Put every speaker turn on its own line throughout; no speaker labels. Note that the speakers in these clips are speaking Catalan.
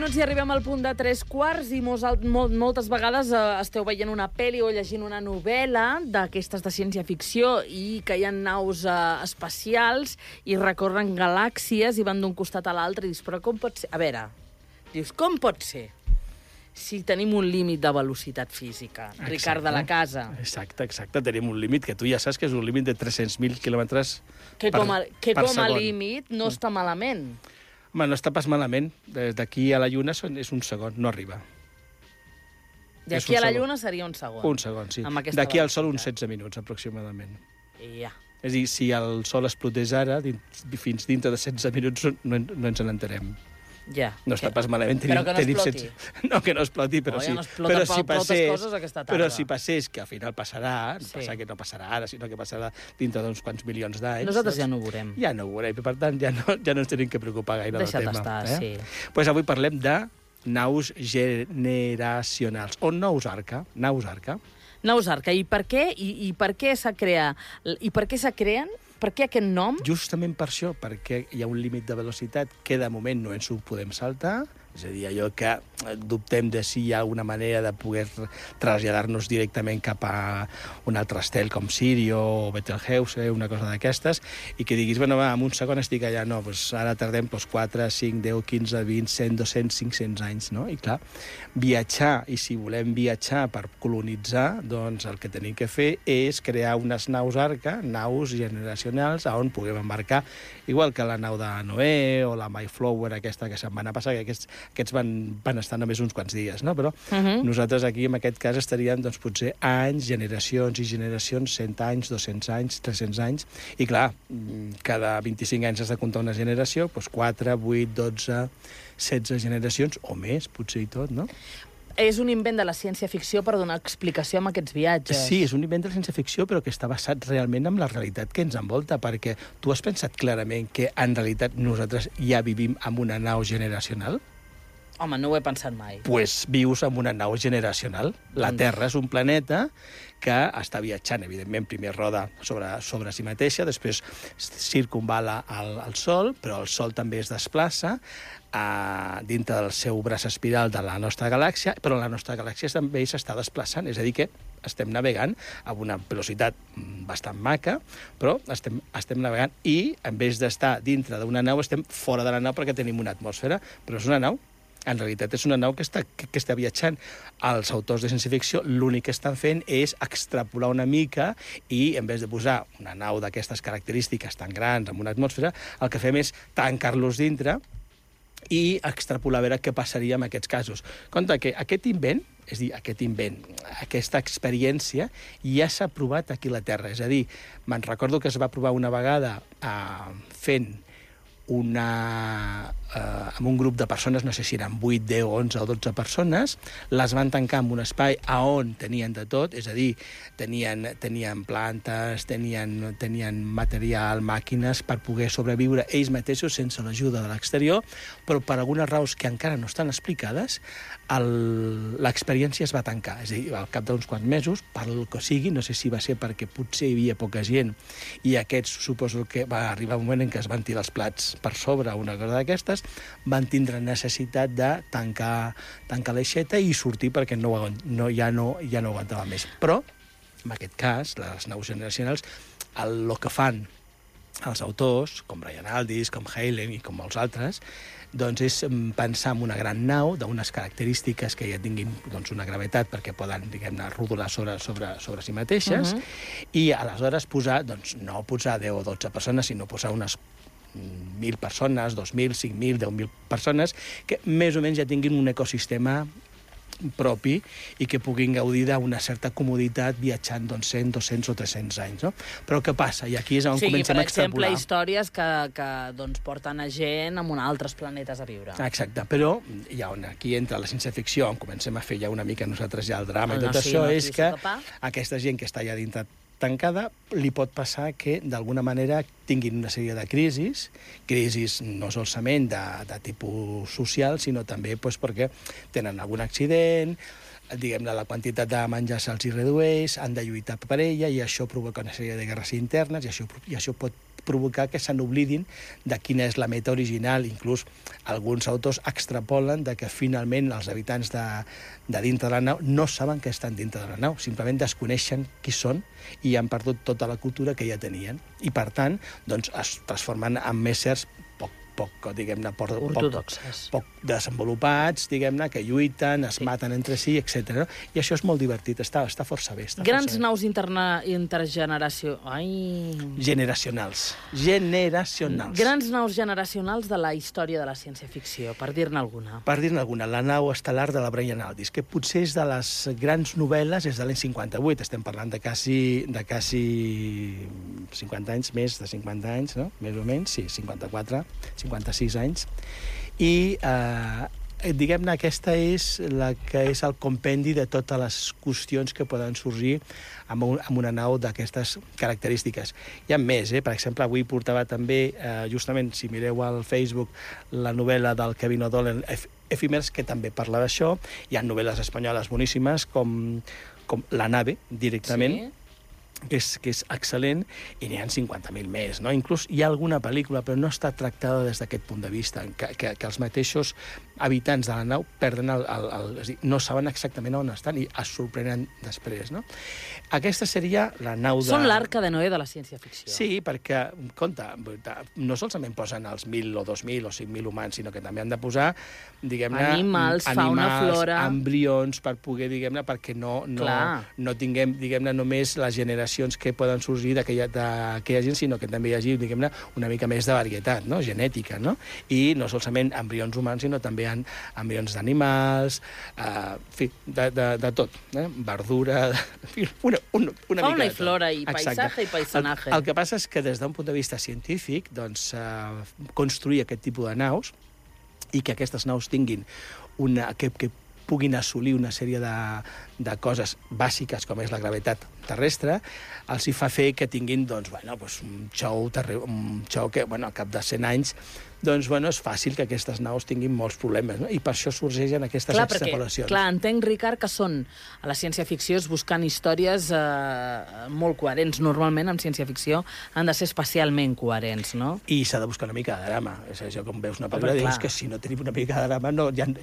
minuts i arribem al punt de 3:15 i moltes vegades esteu veient una pel·li o llegint una novel·la d'aquestes de ciència-ficció i que hi ha naus espacials i recorren galàxies i van d'un costat a l'altre i dius, però com pot ser? A veure, dius, com pot ser? Si tenim un límit de velocitat física, Ricard de la Casa.
Exacte. Tenim un límit que tu ja saps que és un límit de 300.000 quilòmetres per segon.
Que com a límit no està malament.
Home, no està pas malament. D'aquí a la Lluna és un segon, no arriba.
D'aquí a la Lluna seria un segon.
Un segon, sí. D'aquí al Sol uns 16 minuts, aproximadament.
Ja.
És a dir, si el Sol explotés ara, fins dintre de 16 minuts no ens n'enterem.
Ja.
No està pas malament.
Però que no exploti.
No, que no exploti, però sí. Però si passés, que al final passarà, que no passarà ara, sinó que passarà dintre d'uns quants milions d'anys.
Nosaltres ja no ho veurem.
Ja no ho veurem, per tant, ja no ens tenim que preocupar gaire del tema.
Deixa't estar, sí.
Doncs avui parlem de naus generacionals, o naus arca. Naus arca. I per què s'ha creat? I per què se creen? Per què aquest nom? Justament per això, perquè hi ha un límit de velocitat que de moment no ens ho podem saltar, és a dir, allò que dubtem de si hi ha una manera de poder traslladar-nos directament cap a un altre estel com Sirio o Betelgeuse, una cosa d'aquestes, i que diguis, bueno, va, en un segon estic allà, no, doncs ara tardem 4, 5, 10, 15, 20, 100, 200, 500 anys, no? I clar, viatjar, i si volem viatjar per colonitzar, doncs el que tenim que fer és crear unes naus arca, naus generacionals, on puguem embarcar, igual que la nau de Noé o la Mayflower, aquesta que se'n va anar a passar, que aquests van estar només uns quants dies, no? Però nosaltres aquí, en aquest cas, estaríem, doncs, potser anys, generacions i generacions, 100 anys, 200 anys, 300 anys, i clar, cada 25 anys has de comptar una generació, doncs 4, 8, 12, 16 generacions, o més, potser i tot, no?
És un invent de la ciència-ficció per donar explicació a aquests viatges.
Sí, és un invent de la ciència-ficció, però que està basat realment en la realitat que ens envolta, perquè tu has pensat clarament que, en realitat, nosaltres ja vivim en una nau generacional?
Home, no ho he pensat mai.
Doncs vius en una nau generacional. La Terra és un planeta que està viatjant, evidentment, primer roda sobre si mateixa, després circumvala el Sol, però el Sol també es desplaça dintre del seu braç espiral de la nostra galàxia, però la nostra galàxia també s'està desplaçant, és a dir que estem navegant a una velocitat bastant maca, però estem navegant i, en vez d'estar dintre d'una nau, estem fora de la nau perquè tenim una atmosfera, però és una nau. En realitat és una nau que està viatjant. Els autors de ciència-ficció l'únic que estan fent és extrapolar una mica i, en vez de posar una nau d'aquestes característiques tan grans amb una atmosfera, el que fem és tancar-los dintre i extrapolar a veure què passaria en aquests casos. Compte que aquest invent, aquesta experiència, ja s'ha provat aquí a la Terra. És a dir, me'n recordo que es va provar una vegada fent amb un grup de persones, no sé si eren 8, 10, 11 o 12 persones, les van tancar en un espai on tenien de tot, és a dir, tenien plantes, tenien material, màquines per poder sobreviure ells mateixos sense l'ajuda de l'exterior, però per algunes raons que encara no estan explicades, l'experiència es va tancar. És a dir, al cap d'uns quants mesos, per el que sigui, no sé si va ser perquè potser hi havia poca gent i aquests suposo que va arribar un moment en què es van tirar els plats per sobre, una cosa d'aquestes, van tindre necessitat de tancar l'aixeta i sortir perquè ja no aguantava més. Però, en aquest cas, les naus generacionals, el que fan els autors, com Brian Aldiss, com Halen i com molts altres, doncs és pensar en una gran nau d'unes característiques que ja tinguin una gravetat perquè poden, diguem-ne, rodolar sobre si mateixes i aleshores no posar 10 o 12 persones, sinó posar unes 1.000 persones, 2.000, 5.000, 10.000 persones que més o menys ja tinguin un ecosistema propi i que puguin gaudir d'una certa comoditat viatjant 100, 200 o 300 anys, no? Però què passa? I aquí és on comencem a extrapolar.
Per exemple, històries que porten a gent a altres planetes a viure.
Exacte, però aquí entra la ciència-ficció, on comencem a fer ja una mica nosaltres ja el drama i tot això, és que aquesta gent que està allà dintre tancada, li pot passar que, d'alguna manera, tinguin una sèrie de crisis no solament de tipus social, sinó també perquè tenen algun accident, diguem-ne, la quantitat de menjar se'ls hi redueix, han de lluitar per ella, i això provoca una sèrie de guerres internes, i això pot provocar que se n'oblidin de quina és la meta original. Inclús alguns autors extrapolen de que finalment els habitants de dintre de la nau no saben que estan dintre de la nau, simplement desconeixen qui són i han perdut tota la cultura que ja tenien. I, per tant, doncs, es transformen en éssers poc, diguem-ne, poc desenvolupats, diguem-ne, que lluiten, es maten entre si, etc. I això és molt divertit, està força bé.
Grans naus
Generacionals.
Grans naus generacionals de la història de la ciència-ficció, per dir-ne alguna.
Per dir-ne alguna, la nau estel·lar de la Brian Aldiss, que potser és de les grans novel·les, és de l'any 58, estem parlant de quasi 50 anys, més de 50 anys, no? Més o menys, sí, 56 anys, i diguem-ne, aquesta és la que és el compendi de totes les qüestions que poden sorgir amb una nau d'aquestes característiques. Hi ha més, per exemple, avui portava també, justament, si mireu al Facebook, la novel·la del Kevin O'Donnell, Efímers, que també parla d'això. Hi ha novel·les espanyoles boníssimes, com La nave, directament, sí, que és excel·lent, i n'hi ha 50.000 més, no? Inclús hi ha alguna pel·lícula, però no està tractada des d'aquest punt de vista, que els mateixos habitants de la nau perden és dir, no saben exactament on estan i es sorprenen després, no? Aquesta seria la nau de...
Són l'arca de Noé de la ciència-ficció.
Sí, perquè, compte, no solament posen els 1.000 o 2.000 o 5.000 humans, sinó que també han de posar, diguem-ne,
animals, fauna, flora,
embrions, per poder, diguem-ne, perquè no tinguem, diguem-ne, només les generacions que poden sorgir d'aquella gent, sinó que també hi hagi, diguem-ne, una mica més de varietat, no? Genètica, no? I no solament embrions humans, sinó també embrions d'animals, en fi, de tot, verdura, una mica
fauna i
de tot.
Flora, i paisatge i paisanaje.
El que passa és que des d'un punt de vista científic, doncs, construir aquest tipus de naus i que aquestes naus tinguin que puguin assolir una sèrie de coses bàsiques, com és la gravetat terrestre, els hi fa fer que tinguin, doncs, un xou que, al cap de 100 anys, doncs, és fàcil que aquestes naus tinguin molts problemes, no? I per això sorgeixen aquestes extrapolacions.
Clar, entenc, Ricard, que són a la ciència-ficció buscant històries molt coherents. Normalment, en ciència-ficció, han de ser especialment coherents, no?
I s'ha de buscar una mica de drama. És això, com veus una pel·lícula, dius que si no tenim una mica de drama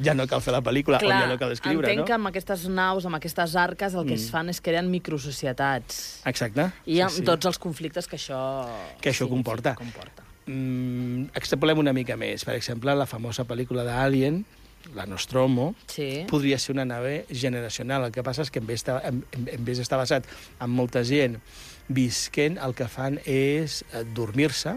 ja no cal fer la pel·lícula, o ja no cal escriure, no?
Entenc que amb aquestes naus, amb aquestes arques, el que es fan és crear microsocietats.
Exacte.
I amb tots els conflictes que això
comporta. Extrapolem una mica més. Per exemple, la famosa pel·lícula d'Alien, la Nostromo, podria ser una nave generacional. El que passa és que en vez d'estar basat en molta gent visquent, el que fan és dormir-se,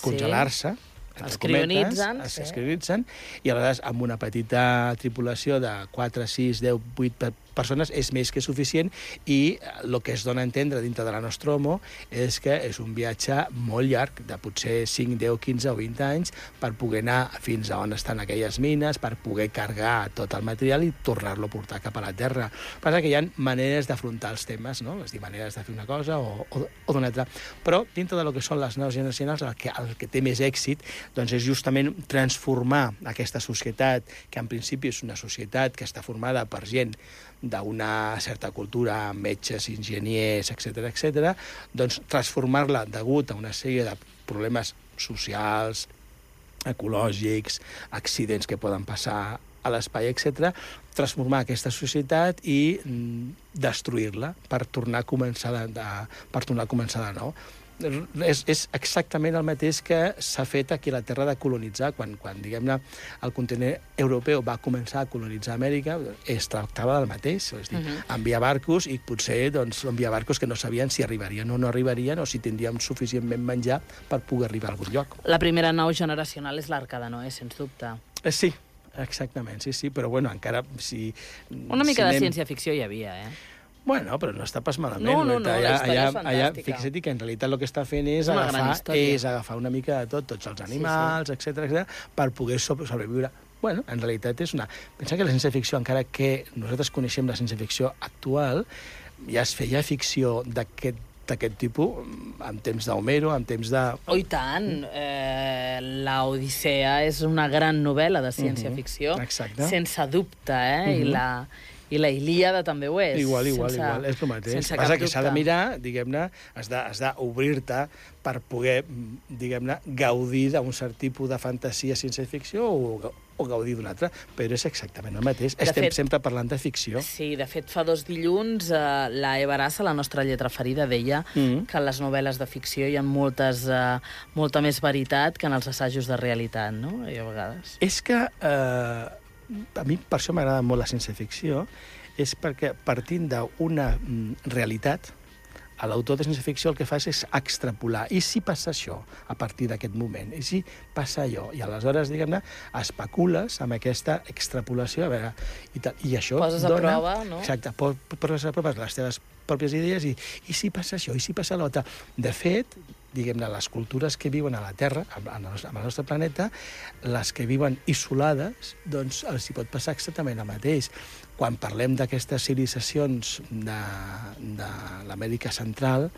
congelar-se,
es crionitzen,
i aleshores amb una petita tripulació de 4, 6, 10, 8 persones és més que suficient, i el que es dona a entendre dintre de la Nostromo és que és un viatge molt llarg, de potser 5, 10, 15 o 20 anys, per poder anar fins a on estan aquelles mines, per poder carregar tot el material i tornar-lo a portar cap a la Terra. Passa que hi ha maneres d'afrontar els temes, no? És dir, maneres de fer una cosa o d'una altra. Però dintre del que són les naus generacionals, el que té més èxit doncs és justament transformar aquesta societat, que en principi és una societat que està formada per gent d'una certa cultura, metges, enginyers, etc., doncs transformar-la degut a una sèrie de problemes socials, ecològics, accidents que poden passar a l'espai, etc., transformar aquesta societat i destruir-la per tornar a començar de nou. És exactament el mateix que s'ha fet aquí a la Terra de colonitzar. Quan diguem-ne, el continent europeu va començar a colonitzar Amèrica, es tractava del mateix, és dir, enviar barcos, i potser enviar barcos que no sabien si arribarien o no arribarien, o si tindríem suficientment menjar per poder arribar a algun lloc.
La primera nau generacional és l'Arca de Noé, sens dubte.
Sí, exactament, sí, però encara...
Una mica de ciència-ficció hi havia,
Bueno, però no està pas malament.
No, la història és fantàstica.
Fixa't que en realitat el que està fent és agafar una mica de tots els animals, etc., per poder sobreviure. Bueno, en realitat és una... Pensa que la ciència-ficció, encara que nosaltres coneixem la ciència-ficció actual, ja es feia ficció d'aquest tipus en temps d'Homero, en temps de...
Oh, i tant! La Odissea és una gran novel·la de ciència-ficció, sense dubte, I la Ilíada també ho és.
Igual, és el mateix.
Sense
Passa
cap
que s'ha de
dubte.
mirar, diguem-ne, has d'obrir-te per poder, diguem-ne, gaudir d'un cert tipus de fantasia ciència-ficció o gaudir d'una altra, però és exactament el mateix. Estem sempre parlant de ficció.
Sí, de fet, fa 2 dilluns la Eva Arassa, la nostra lletra ferida, deia que en les novel·les de ficció hi ha molta més veritat que en els assajos de realitat, no? I a vegades.
És que a mi per això m'agrada molt la ciència-ficció, és perquè partint d'una realitat, l'autor de ciència-ficció el que fa és extrapolar. I si passa això a partir d'aquest moment? I si passa allò? I aleshores, diguem-ne, especules amb aquesta extrapolació, a veure, i això
poses a prova, no?
Exacte, poses a prova les teves pròpies idees i si passa això, i si passa l'altre. De fet, diguem-ne, les cultures que viuen a la Terra, al nostre planeta, les que viuen isolades, doncs els hi pot passar exactament el mateix. Quan parlem d'aquestes civilitzacions de l'Amèrica Central,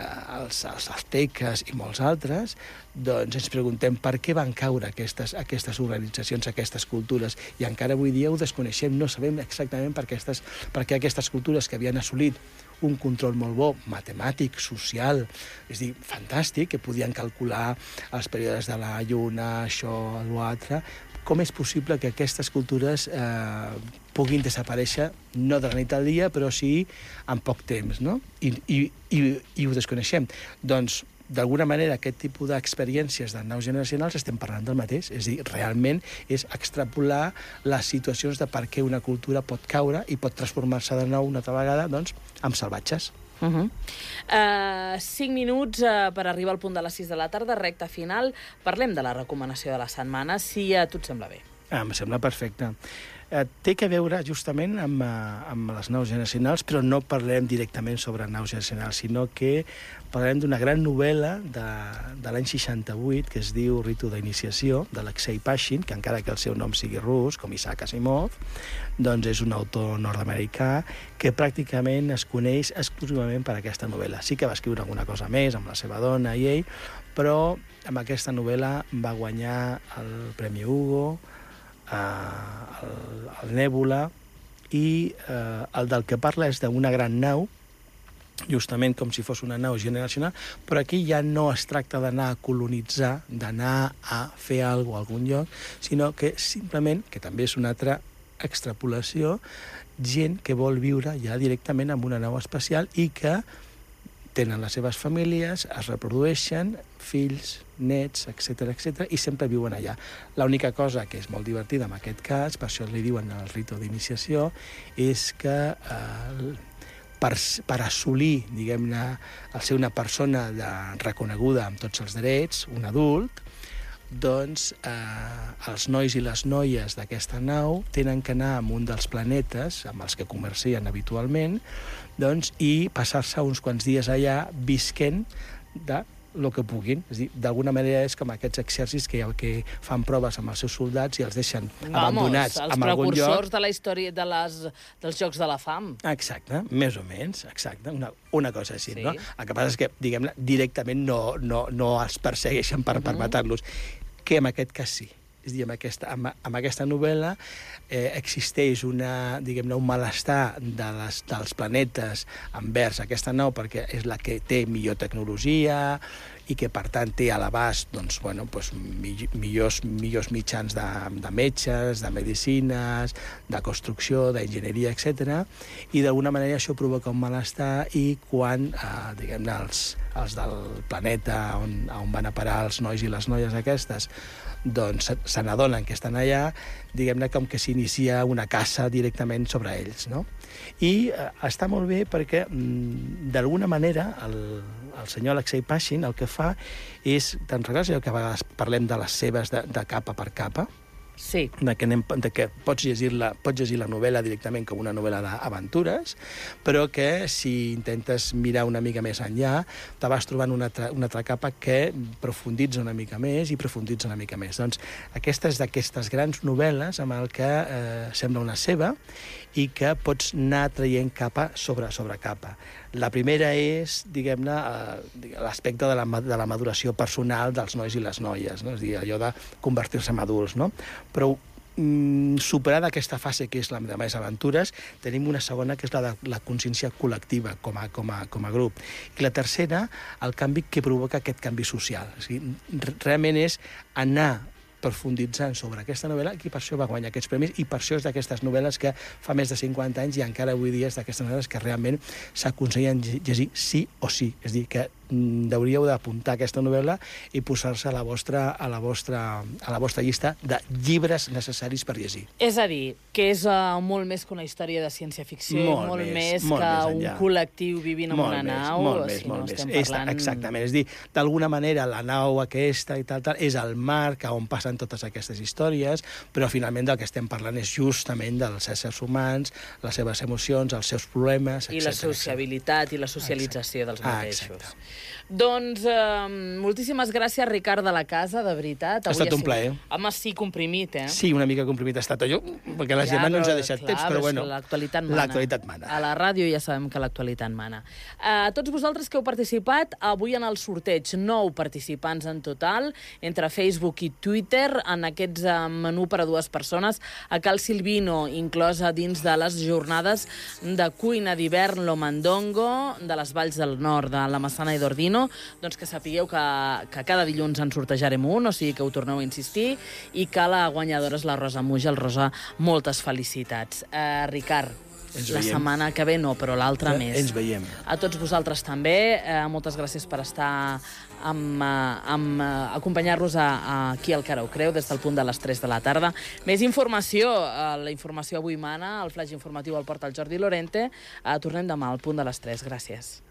els azteques i molts altres, doncs ens preguntem per què van caure aquestes organitzacions, aquestes cultures, i encara avui dia ho desconeixem, no sabem exactament per què aquestes cultures que havien assolit un control molt bo, matemàtic, social, és a dir, fantàstic, que podien calcular els períodes de la lluna, això, l'altre. Com és possible que aquestes cultures puguin desaparèixer, no de la nit al dia, però sí en poc temps, no? I ho desconeixem. Doncs, d'alguna manera, aquest tipus d'experiències de naus generacionals estem parlant del mateix. És a dir, realment és extrapolar les situacions de per què una cultura pot caure i pot transformar-se de nou una altra vegada, doncs, en salvatges.
5 minuts per arribar al punt de les 6 de la tarda, recta final. Parlem de la recomanació de la setmana, si a tu et sembla bé.
Em sembla perfecte. Té que veure justament amb les naus generacionals, però no parlem directament sobre naus generacionals, sinó que parlarem d'una gran novel·la de l'any 68 que es diu Ritu d'iniciació, de Alexei Pashin, que encara que el seu nom sigui rus, com Isaac Asimov, doncs és un autor nord-americà que pràcticament es coneix exclusivament per aquesta novel·la. Sí que va escriure alguna cosa més amb la seva dona i ell, però amb aquesta novel·la va guanyar el Premi Hugo, el Nèbula, i el del que parla és d'una gran nau, justament com si fos una nau generacional, però aquí ja no es tracta d'anar a colonitzar, d'anar a fer alguna cosa a algun lloc, sinó que simplement, que també és una altra extrapolació, gent que vol viure ja directament en una nau espacial i que tenen les seves famílies, es reprodueixen, fills, nets, etc, i sempre viuen allà. L'única cosa que és molt divertida en aquest cas, per això li diuen el ritu d'iniciació, és que per assolir, diguem-ne, el ser una persona reconeguda amb tots els drets, un adult, doncs els nois i les noies d'aquesta nau tenen que anar a un dels planetes amb els que comercien habitualment, doncs, i passar-se uns quants dies allà visquent de el que puguin. És a dir, d'alguna manera és com aquests exèrcits que fan proves amb els seus soldats i els deixen abandonats en algun lloc.
Els precursors de la història dels Jocs de la Fam.
Exacte, més o menys, exacte, una cosa així,
Sí.
no? El que passa és que, diguem-ne, directament no els persegueixen per matar-los, que en aquest cas sí. És a dir, amb aquesta novel·la existeix un malestar dels planetes envers aquesta nau perquè és la que té millor tecnologia i que, per tant, té a l'abast millors mitjans de metges, de medicines, de construcció, d'enginyeria, etc. I d'alguna manera això provoca un malestar i quan, diguem-ne, els del planeta on van a parar els nois i les noies aquestes doncs se n'adonen que estan allà, diguem-ne, com que s'inicia una caça directament sobre ells, no? I està molt bé perquè, d'alguna manera, el senyor Alexei Pashin el que fa és, te'n recordes que a vegades parlem de les seves de capa per capa?
Sí.
De que pots llegir la novel·la directament com una novel·la d'aventures, però que si intentes mirar una mica més enllà, te vas trobant una altra capa que profunditza una mica més i profunditza una mica més. Doncs aquesta és d'aquestes grans novel·les amb el que sembla una ceba i que pots anar traient capa sobre capa. La primera és, diguem-ne, l'aspecte de la maduració personal dels nois i les noies, no? És a dir, allò de convertir-se en adults, no? Però superada aquesta fase que és la de més aventures, tenim una segona que és la de la consciència col·lectiva com a grup. I la tercera, el canvi que provoca aquest canvi social. O sigui, realment és anar profunditzant sobre aquesta novel·la, i per això va guanyar aquests premis, i per això és d'aquestes novel·les que fa més de 50 anys i encara avui dia és d'aquestes novel·les que realment s'aconsellen llegir sí o sí. És a dir, que hauríeu d'apuntar aquesta novel·la i posar-se a la vostra llista de llibres necessaris per llegir.
És a dir, que és molt més que una història de ciència-ficció, molt més que un col·lectiu vivint en una nau.
Molt més. Exactament. És a dir, d'alguna manera, la nau aquesta i tal, és el marc on passen totes aquestes històries, però finalment del que estem parlant és justament dels éssers humans, les seves emocions, els seus problemes, etc.
I la sociabilitat i la socialització dels mateixos.
Exacte.
Doncs moltíssimes gràcies, Ricard de la Casa, de veritat.
Ha estat un plaer.
Home, sí, comprimit, eh?
Sí, una mica comprimit ha estat jo, perquè la Gemma no ens ha deixat temps, però bueno.
L'actualitat mana.
L'actualitat mana.
A la ràdio ja sabem que l'actualitat mana. A tots vosaltres que heu participat avui en el sorteig, 9 participants en total, entre Facebook i Twitter, en aquests menú per a 2 persones, a Cal Silvino, inclosa dins de les jornades de cuina d'hivern Lomandongo, de les Valls del Nord, de la Massana i d'Ordino, doncs que sapigueu que cada dilluns en sortejarem un, o sigui que ho torneu a insistir, i que la guanyadora és la Rosa Mujal. Rosa, moltes felicitats. Ricard, la setmana que ve no, però l'altra més.
Ens veiem.
A tots vosaltres també, moltes gràcies per estar acompanyar-nos aquí al Cara ho Creu des del punt de les 3 de la tarda. Més informació, la informació avui mana, el flaix informatiu el porta el Jordi Lorente. Tornem demà al punt de les 3. Gràcies.